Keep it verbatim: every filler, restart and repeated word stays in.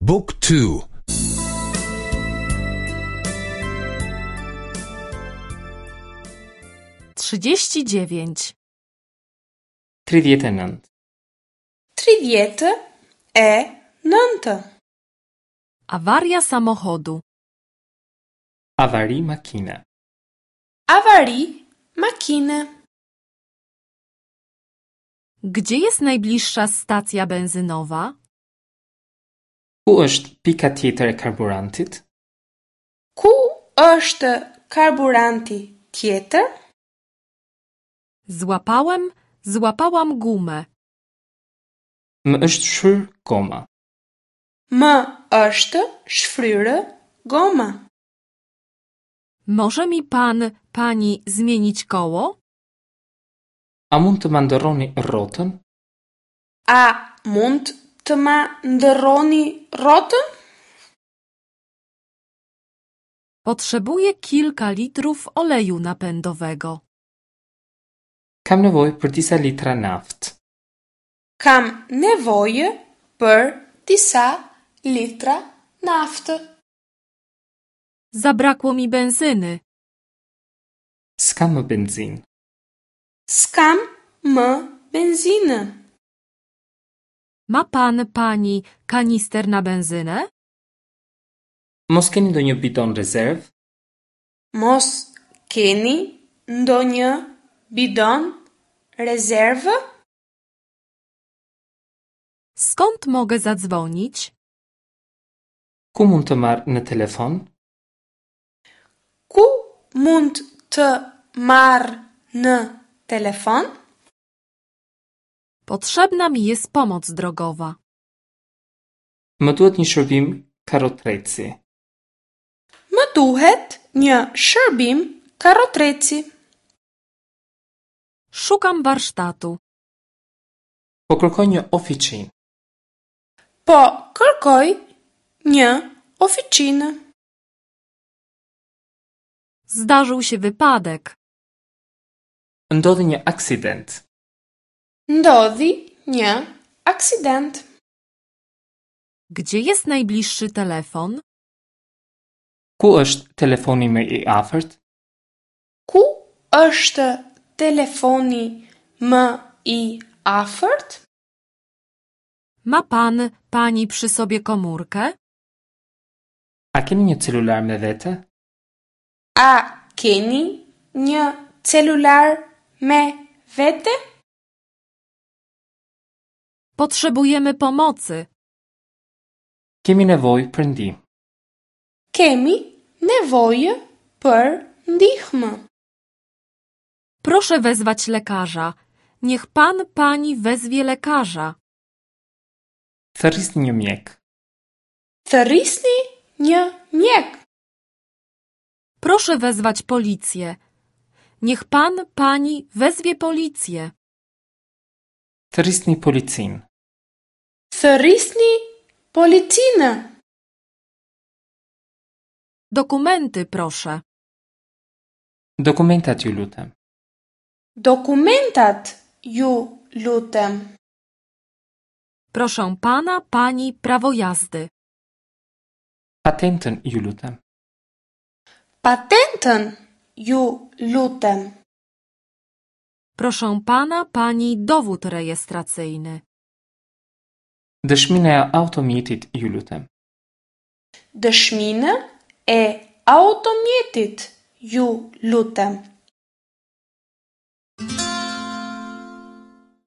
Book two. Trzydzieści dziewięć. Tridhjetë e nëntë. Tridhjetë e nëntë. Awaria samochodu. Avari makine. Avari makine. Gdzie jest najbliższa stacja benzynowa? Ku është pika tjetër e karburantit? Ku është karburanti tjetër? Złapałem, złapałam gumę. Më është shfryr goma. Më është shfryrë goma. Może mi pan, pani zmienić koło? A mund të ma ndërroni rrotën? A mund të ma ndërroni rrotën? Potrzebuję kilka litrów oleju napędowego. Kam nevojë për disa litra naftë. Kam nevojë për disa litra naftë. Zabrakło mi benzyny. S'kam më benzinë. S'kam më benzinë. Ma pan, pani kanister na benzynę? Mos keni ndonjë bidon rezervë? Mos keni ndonjë bidon rezervë? Skąd mogę zadzwonić? Ku mund të marr në telefon? Ku mund të marr në telefon? Potrzebna mi jest pomoc drogowa. Më duhet një shërbim karrotreci. Më duhet një shërbim karrotreci. Szukam warsztatu. Po kërkoj një ofiçinë. Po kërkoj një ofiçinë. Zdarzył się wypadek. Ndodhi një aksident. Ndodhi një aksident. Gdzie jest najbliższy telefon? Ku është telefoni më i afërt? Ku është telefoni më i afërt? Ma pan, pani przy sobie komórkę? A keni një celular me vete? A keni një celular me vete? Potrzebujemy pomocy. Kemi nevojë për ndihmë. Kemi nevojë për ndihmë. Proszę wezwać lekarza. Niech pan, pani wezwie lekarza. Thërrisni një mjek. Thërrisni një mjek. Proszę wezwać policję. Niech pan, pani wezwie policję. Thërrisni policinë. Thërrisni policinë. Dokumenty, proszę. Dokumentat ju lutem. Dokumentat ju lutem. Proszę pana, pani prawo jazdy. Patentën ju lutem. Patentën ju lutem. Proszę pana, pani dowód rejestracyjny. Dëshminë e automjetit ju lutem. Dëshminë e automjetit ju lutem.